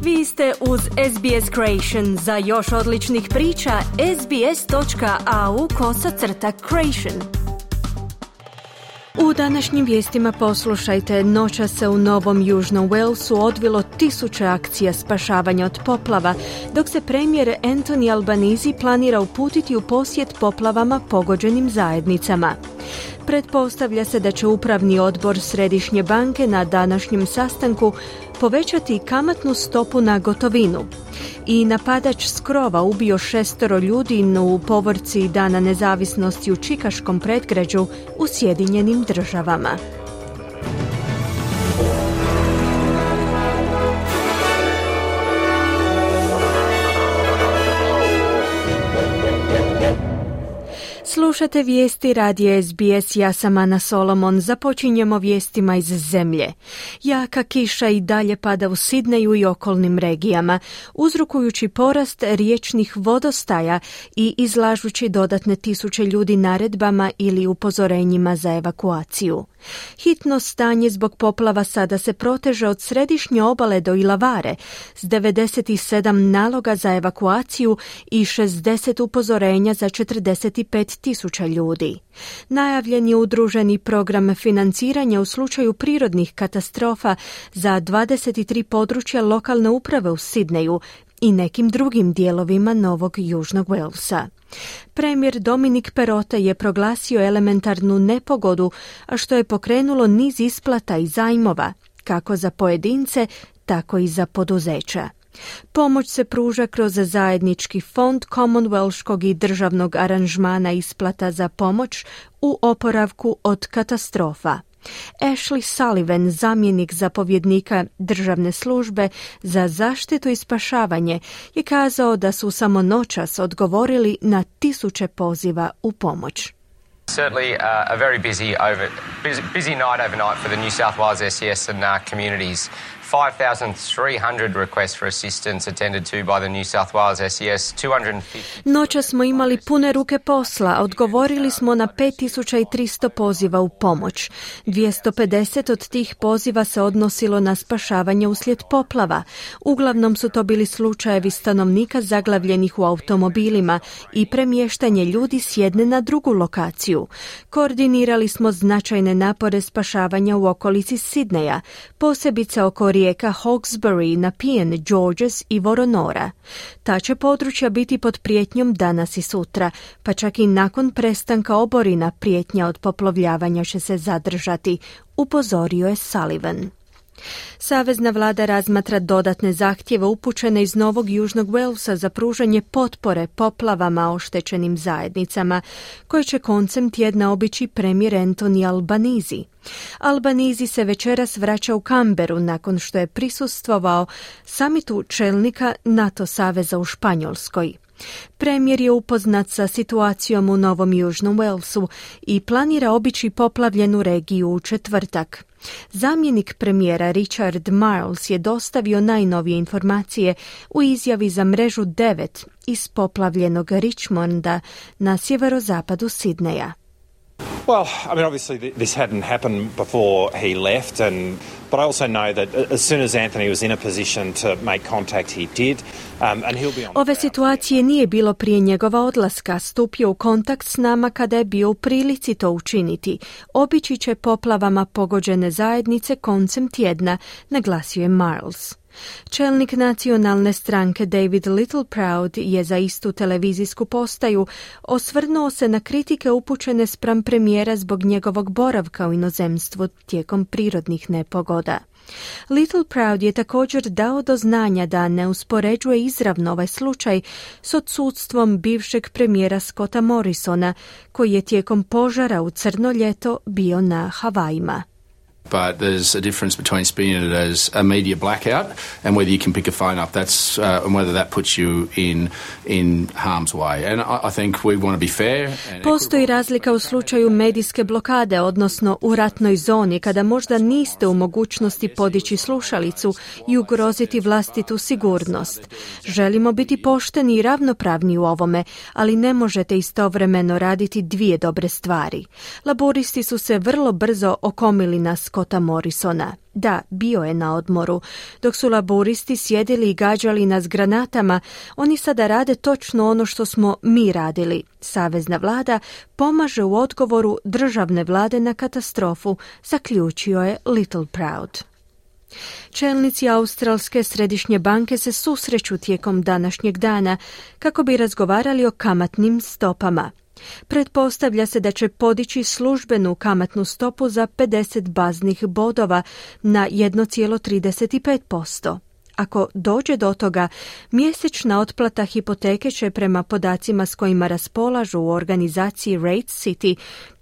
Vi ste uz SBS Creation. Za još odličnih priča, sbs.au/creation. U današnjim vijestima poslušajte, noćas se u Novom Južnom Walesu odvilo 1000 akcija spašavanja od poplava, dok se premijer Anthony Albanese planira uputiti u posjet poplavama pogođenim zajednicama. Pretpostavlja se da će upravni odbor Središnje banke na današnjem sastanku povećati kamatnu stopu na gotovinu. I napadač s krova ubio 6 ljudi u povorci Dana nezavisnosti u čikaškom predgrađu u Sjedinjenim Državama. Slušate vijesti radija SBS, ja sam Ana Solomon. Započinjemo vijestima iz zemlje. Jaka kiša i dalje pada u Sidneju i okolnim regijama, uzrokujući porast riječnih vodostaja i izlažući dodatne 1000 ljudi naredbama ili upozorenjima za evakuaciju. Hitno stanje zbog poplava sada se proteže od središnje obale do Ilavare s 97 naloga za evakuaciju i 60 upozorenja za 45.000 ljudi. Najavljen je udruženi program financiranja u slučaju prirodnih katastrofa za 23 područja lokalne uprave u Sidneju i nekim drugim dijelovima Novog Južnog Walesa. Premijer Dominic Perrottet je proglasio elementarnu nepogodu, a što je pokrenulo niz isplata i zajmova, kako za pojedince, tako i za poduzeća. Pomoć se pruža kroz zajednički fond Commonwealthskog i državnog aranžmana isplata za pomoć u oporavku od katastrofa. Ashley Sullivan, zamjenik zapovjednika državne službe za zaštitu i spašavanje, je kazao da su samo noćas odgovorili na 1000 poziva u pomoć. Certainly a very busy night overnight for the New South Wales SES and communities. 5,300 requests for assistance attended to by the New South Wales SES. 250. Noća smo imali pune ruke posla, odgovorili smo na 5300 poziva u pomoć. 250 od tih poziva se odnosilo na spašavanje uslijed poplava. Uglavnom su to bili slučajevi stanovnika zaglavljenih u automobilima i premještanje ljudi s jedne na drugu lokaciju. Koordinirali smo značajne napore spašavanja u okolici Sidneja, posebice oko rijeka Hawkesbury, Nepean, Georges i Woronora. Ta će područja biti pod prijetnjom danas i sutra, pa čak i nakon prestanka oborina prijetnja od poplovljavanja će se zadržati, upozorio je Sullivan. Savezna vlada razmatra dodatne zahtjeve upućene iz Novog Južnog Walesa za pružanje potpore poplavama oštećenim zajednicama, koje će koncem tjedna obići premijer Anthony Albanese. Albanese se večeras vraća u Canberru nakon što je prisustvovao samitu čelnika NATO saveza u Španjolskoj. Premijer je upoznat sa situacijom u Novom Južnom Walesu i planira obići poplavljenu regiju u četvrtak. Zamjenik premijera Richard Marles je dostavio najnovije informacije u izjavi za mrežu 9 iz poplavljenog Richmonda na sjeverozapadu Sidneja. Well, I mean, obviously this hadn't happened before he left, but I also know that as soon as Anthony was in a position to make contact, he did, and he'll be on. Ove situacije nije bilo prije njegova odlaska. Stupio u kontakt s nama kada je bio u prilici to učiniti. Obići će poplavama pogođene zajednice koncem tjedna, naglasio je Marles. Čelnik nacionalne stranke David Littleproud je za istu televizijsku postaju osvrnuo se na kritike upućene spram premijera zbog njegovog boravka u inozemstvu tijekom prirodnih nepogoda. Littleproud je također dao do znanja da ne uspoređuje izravno ovaj slučaj s odsudstvom bivšeg premijera Scotta Morrisona, koji je tijekom požara u Crno ljeto bio na Havajima. But there's a difference between seeing it as a media blackout and whether you can pick a phone up. That's and whether that puts you in harm's way. And I think we want to be fair. Postoji razlika u slučaju medijske blokade, odnosno u ratnoj zoni, kada možda niste u mogućnosti podići slušalicu i ugroziti vlastitu sigurnost. Želimo biti pošteni i ravnopravni u ovome, ali ne možete istovremeno raditi dvije dobre stvari. Laboristi su se vrlo brzo okomili na Scotta Morrisona. Da, bio je na odmoru. Dok su laburisti sjedili i gađali nas granatama, oni sada rade točno ono što smo mi radili. Savezna vlada pomaže u odgovoru državne vlade na katastrofu, zaključio je Littleproud. Čelnici Australske središnje banke se susreću tijekom današnjeg dana kako bi razgovarali o kamatnim stopama. Pretpostavlja se da će podići službenu kamatnu stopu za 50 baznih bodova na 1,35%. Ako dođe do toga, mjesečna otplata hipoteke će prema podacima s kojima raspolažu u organizaciji Rate City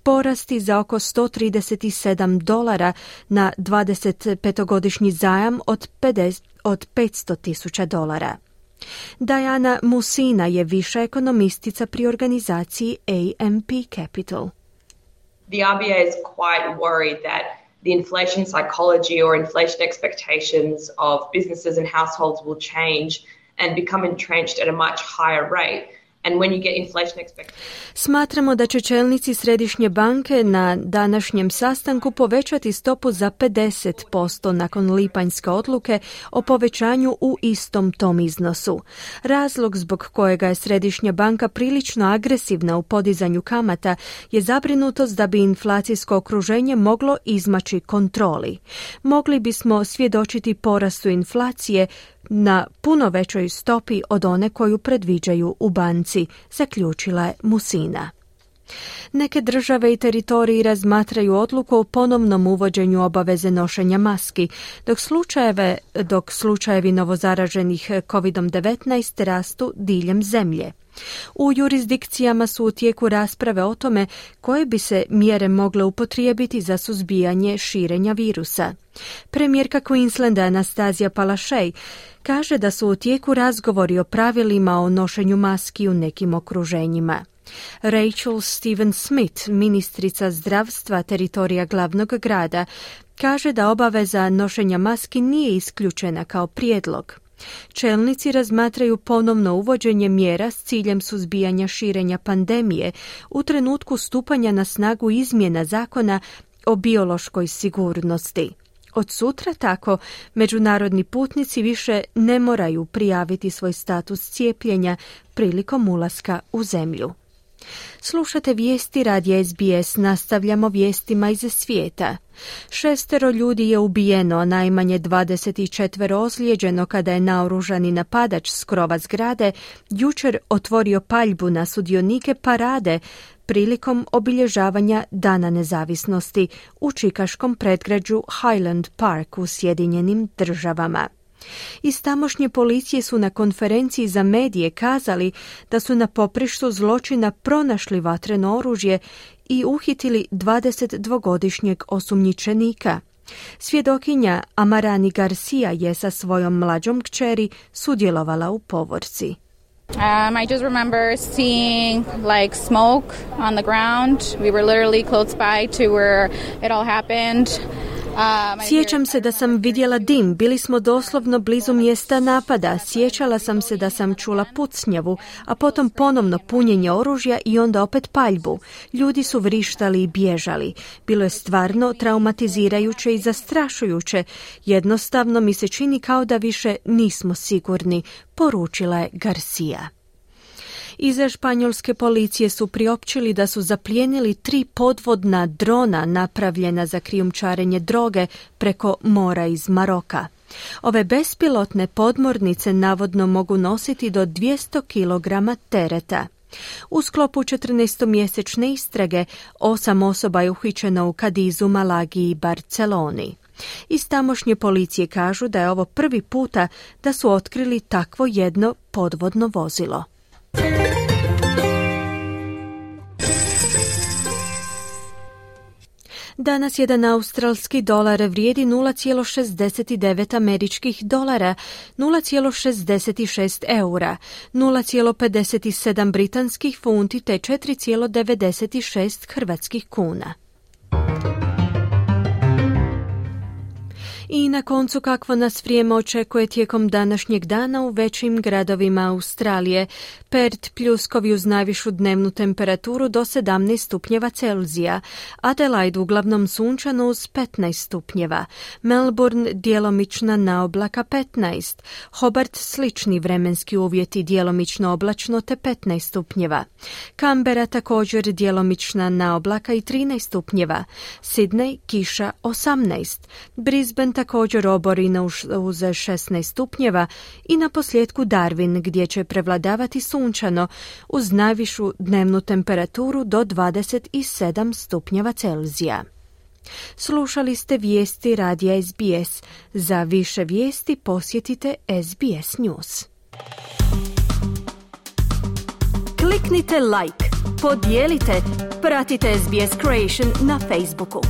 porasti za oko $137 na 25-godišnji zajam od $500,000. Diana Musina je viša ekonomistica pri organizaciji AMP Capital. The RBA is quite worried that the inflation psychology or inflation expectations of businesses and households will change and become entrenched at a much higher rate. And when you get inflation expectations... Smatramo da će čelnici središnje banke na današnjem sastanku povećati stopu za 50% nakon lipanjske odluke o povećanju u istom tom iznosu. Razlog zbog kojega je središnja banka prilično agresivna u podizanju kamata je zabrinutost da bi inflacijsko okruženje moglo izmaći kontroli. Mogli bismo svjedočiti porastu inflacije na puno većoj stopi od one koju predviđaju u banci, zaključila je Musina. Neke države i teritoriji razmatraju odluku o ponovnom uvođenju obaveze nošenja maski, dok slučajevi novozaraženih COVID-19 rastu diljem zemlje. U jurisdikcijama su u tijeku rasprave o tome koje bi se mjere mogle upotrijebiti za suzbijanje širenja virusa. Premijerka Queenslanda Anastasia Palaszczuk kaže da su u tijeku razgovori o pravilima o nošenju maski u nekim okruženjima. Rachel Stephen-Smith, ministrica zdravstva teritorija glavnog grada, kaže da obaveza nošenja maski nije isključena kao prijedlog. Čelnici razmatraju ponovno uvođenje mjera s ciljem suzbijanja širenja pandemije u trenutku stupanja na snagu izmjena zakona o biološkoj sigurnosti. Od sutra tako međunarodni putnici više ne moraju prijaviti svoj status cijepljenja prilikom ulaska u zemlju. Slušate vijesti radija SBS, nastavljamo vijestima iz svijeta. 6 ljudi je ubijeno, a najmanje 24 ozlijeđeno kada je naoružani napadač s krova zgrade jučer otvorio paljbu na sudionike parade prilikom obilježavanja Dana nezavisnosti u čikaškom predgrađu Highland Park u Sjedinjenim Državama. Iz tamošnje policije su na konferenciji za medije kazali da su na poprištu zločina pronašli vatreno oružje i uhitili 22-godišnjeg osumnjičenika. Svjedokinja Amarani Garcia je sa svojom mlađom kćeri sudjelovala u povorci. I just remember seeing like smoke on the ground. We were literally close by to where it all happened. Sjećam se da sam vidjela dim, bili smo doslovno blizu mjesta napada, sjećala sam se da sam čula pucnjavu, a potom ponovno punjenje oružja i onda opet paljbu. Ljudi su vrištali i bježali. Bilo je stvarno traumatizirajuće i zastrašujuće. Jednostavno mi se čini kao da više nismo sigurni, poručila je Garcia. Iz španjolske policije su priopćili da su zaplijenili 3 podvodna drona napravljena za krijumčarenje droge preko mora iz Maroka. Ove bespilotne podmornice navodno mogu nositi do 200 kg tereta. U sklopu 14-mjesečne istrage 8 osoba je uhićeno u Kadizu, Malagi i Barceloni. Iz tamošnje policije kažu da je ovo prvi puta da su otkrili takvo jedno podvodno vozilo. Danas jedan australski dolar vrijedi 0,69 američkih dolara, 0,66 eura, 0,57 britanskih funti te 4,96 hrvatskih kuna. I na koncu kakvo nas vrijeme očekuje tijekom današnjeg dana u većim gradovima Australije. Perth pljuskovi uz najvišu dnevnu temperaturu do 17 stupnjeva Celzija, Adelaide uglavnom sunčano uz 15 stupnjeva, Melbourne djelomična naoblaka 15, Hobart slični vremenski uvjeti djelomično oblačno te 15 stupnjeva, Canberra također djelomična naoblaka i 13 stupnjeva, Sydney kiša 18, Brisbane također oborina uz 16 stupnjeva i na posljedku Darwin gdje će prevladavati sunčano uz najvišu dnevnu temperaturu do 27 stupnjeva Celzija. Slušali ste vijesti radija SBS. Za više vijesti posjetite SBS News. Kliknite like, podijelite, pratite SBS Creation na Facebooku.